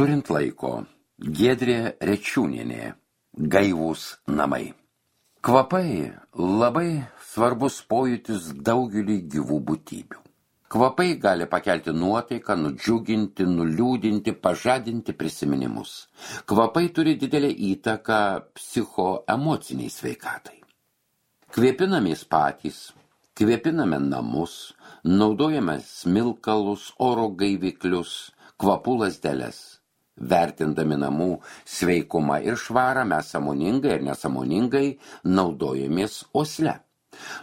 Turint laiko, Giedrė Rečiūnienė, gaivūs namai. Kvapai labai svarbus pojūtis daugeliui gyvų būtybių. Kvapai gali pakelti nuotaiką, nudžiuginti, nuliūdinti, pažadinti prisiminimus. Kvapai turi didelę įtaką psichoemociniai sveikatai. Kvėpinamės patys, kvėpiname namus, naudojame smilkalus, oro gaiviklius, kvapų lazdeles. Vertindami namų sveikumą ir švarą mes sąmoningai ir nesąmoningai naudojamės uosle.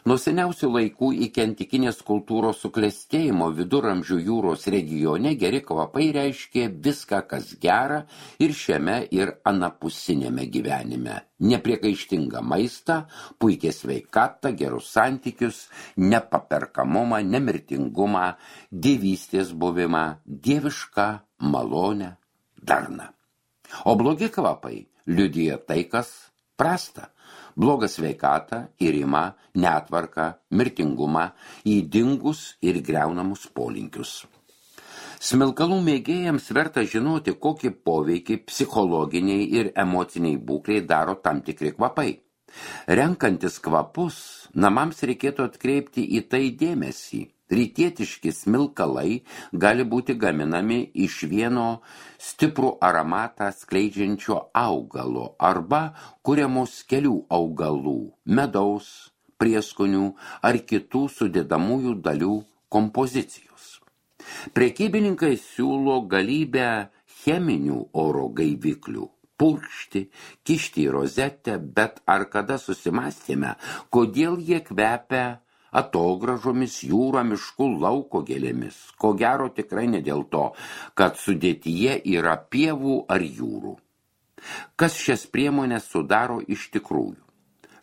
Nuo seniausių laikų iki antikinės kultūros suklestėjimo Viduramžių jūros regione geri kvapai reiškė viską, kas gera ir šiame ir anapusinėme gyvenime. Nepriekaištingą maistą, puikią sveikatą, gerus santykius, nepaperkamumą, nemirtingumą, dievystės buvimą, dievišką malonę, darną. O blogi kvapai liudija tai, kas prasta. Blogą sveikatą, irimą, netvarką, mirtingumą, ydingus ir griaunamus polinkius. Smilkalų mėgėjams verta žinoti, kokį poveikį psichologiniai ir emociniai būkliai daro tam tikri kvapai. Renkantis kvapus, namams reikėtų atkreipti į tai dėmesį. Rytietiški smilkalai gali būti gaminami iš vieno stiprų aromatą skleidžiančio augalo arba kuriamos kelių augalų, medaus, prieskonių ar kitų sudedamųjų dalių kompozicijos. Prekybininkai siūlo galybę cheminių oro gaiviklių. Purkšti, kišti į rozetę, bet ar kada susimąstėme, kodėl jie kvepia atogražomis, jūra, miškų, lauko gėlėmis? Ko gero tikrai ne dėl to, kad sudėtyje yra pievų ar jūrų. Kas šias priemonės sudaro iš tikrųjų?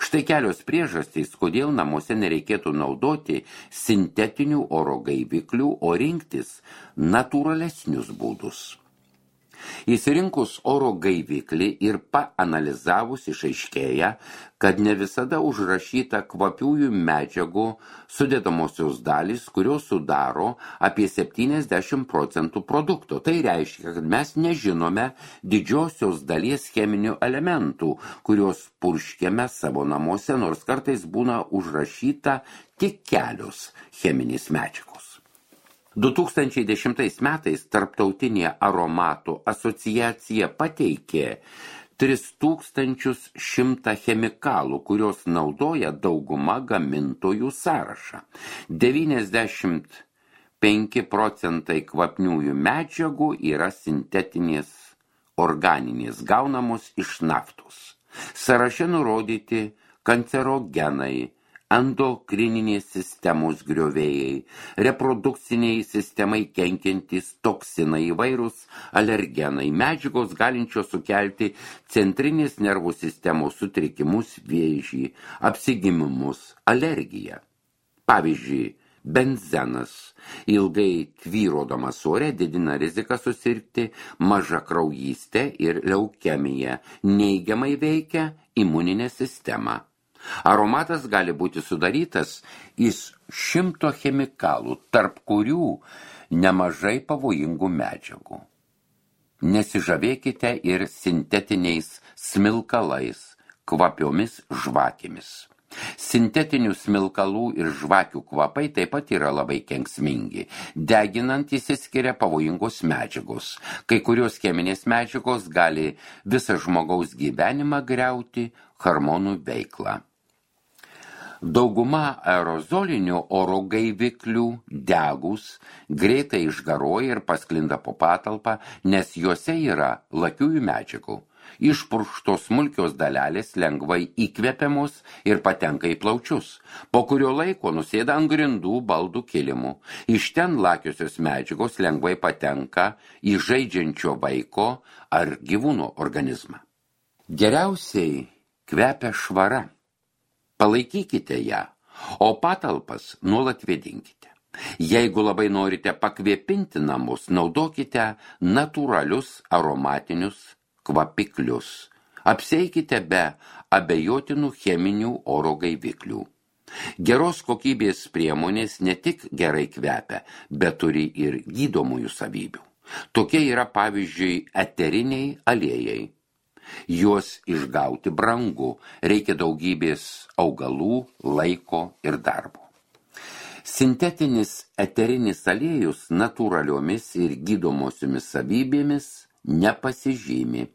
Štai kelios priežastys, kodėl namuose nereikėtų naudoti sintetinių oro gaiviklių, o rinktis natūralesnius būdus. Įsirinkus oro gaiviklį ir paanalizavus išaiškėja, kad ne visada užrašyta kvapiųjų medžiagų sudedamosios dalys, kurios sudaro apie 70% produkto. Tai reiškia, kad mes nežinome didžiosios dalies cheminių elementų, kurios purškiame savo namuose, nors kartais būna užrašyta tik kelios cheminės medžiagos. 2010 metais Tarptautinė aromatų asociacija pateikė 3100 chemikalų, kurios naudoja dauguma gamintojų sąrašą. 95% kvapniųjų medžiagų yra sintetinės organinės, gaunamos iš naftos. Sąraše nurodyti kancerogenai, endokrininės sistemos griovėjai, reprodukciniai sistemai kenkiantys toksinai, įvairūs alergenai, medžiagos galinčios sukelti centrinės nervų sistemos sutrikimus, vėžį, apsigimimus, alergiją. Pavyzdžiui, benzenas ilgai tvyrodamas ore didina riziką susirgti mažakraujystę ir leukemiją, neigiamai veikia imuninę sistemą. Aromatas gali būti sudarytas iš 100 chemikalų, tarp kurių nemažai pavojingų medžiagų. Nesižavėkite ir sintetiniais smilkalais, kvapiomis žvakėmis. Sintetinių smilkalų ir žvakių kvapai taip pat yra labai kenksmingi. Deginant išsiskiria pavojingos medžiagos. Kai kurios cheminės medžiagos gali visą žmogaus gyvenimą griauti, hormonų veiklą. Dauguma aerozolinių oro gaiviklių degus greitai išgaruoja ir pasklinda po patalpą, nes juose yra lakiųjų medžiagų. Išpurkštos smulkios dalelės lengvai įkvepiamos ir patenka į plaučius. Po kurio laiko nusėda ant grindų, baldų, kilimų. Iš ten lakiosios medžiagos lengvai patenka į žaidžiančio vaiko ar gyvūno organizmą. Geriausiai kvepia švara. Palaikykite ją, o patalpas nuolat vėdinkite. Jeigu labai norite pakvėpinti namus, naudokite natūralius aromatinius kvapiklius. Apseikite be abejotinų cheminių oro gaiviklių. Geros kokybės priemonės ne tik gerai kvepia, bet turi ir gydomųjų savybių. Tokie yra pavyzdžiui eteriniai aliejai. Juos išgauti brangu, reikia daugybės augalų, laiko ir darbo. Sintetinis eterinis aliejus natūraliomis ir gydomosiomis savybėmis nepasižymi.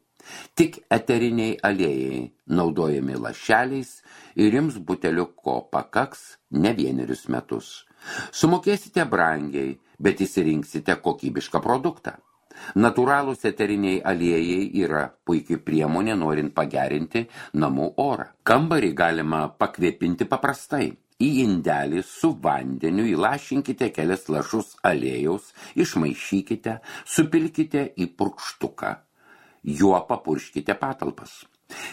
Tik eteriniai aliejai naudojami lašeliais ir jums buteliuko pakaks ne 1 metus. Sumokėsite brangiai, bet įsirinksite kokybišką produktą. Natūralūs eteriniai aliejai yra puikiai priemonė norint pagerinti namų orą. Kambarį galima pakvėpinti paprastai. Į indelį su vandeniu įlašinkite kelias lašus aliejaus, išmaišykite, supilkite į purkštuką. Juo papurškite patalpas.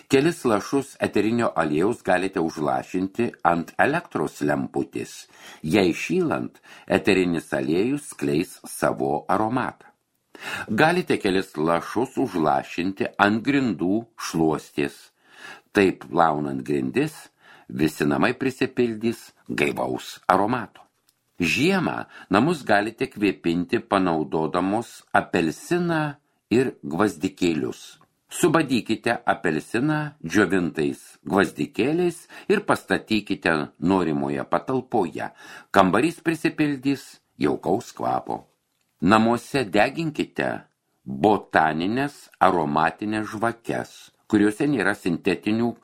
Kelis lašus eterinio aliejaus galite užlašinti ant elektros lemputės. Jei šylant, eterinis aliejus skleis savo aromatą. Galite kelis lašus užlašinti ant grindų šluostės. Taip plaunant grindis, visi namai prisipildys gaivaus aromato. Žiemą namus galite kvėpinti panaudodamos apelsiną ir gvazdikėlius. Subadykite apelsiną džiovintais gvazdikėliais ir pastatykite norimoje patalpoje. Kambarys prisipildys jaukaus kvapo. Namuose deginkite botaninės aromatinės žvakes, kuriuose nėra sintetinių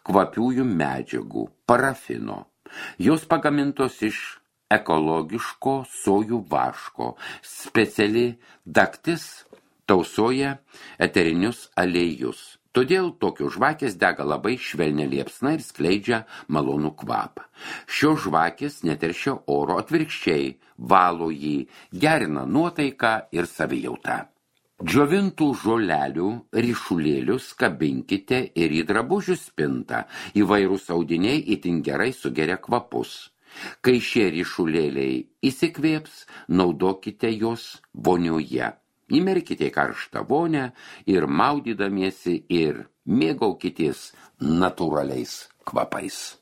kvapiųjų medžiagų, parafino. Jos pagamintos iš ekologiško sojų vaško, speciali daktis tausoja eterinius aliejus. Todėl tokios žvakės dega labai švelnia liepsna ir skleidžia malonų kvapą. Šios žvakės neteršia oro, atvirkščiai, valo jį, gerina nuotaiką ir savijautą. Džiovintų žolelių ryšulėlius kabinkite ir į drabužių spintą. Įvairūs audiniai itin gerai sugeria kvapus. Kai šie ryšulėliai įsikvėps, naudokite juos vonioje. Įmerkite į karštą vonią ir maudydamiesi ir mėgaukitės natūraliais kvapais.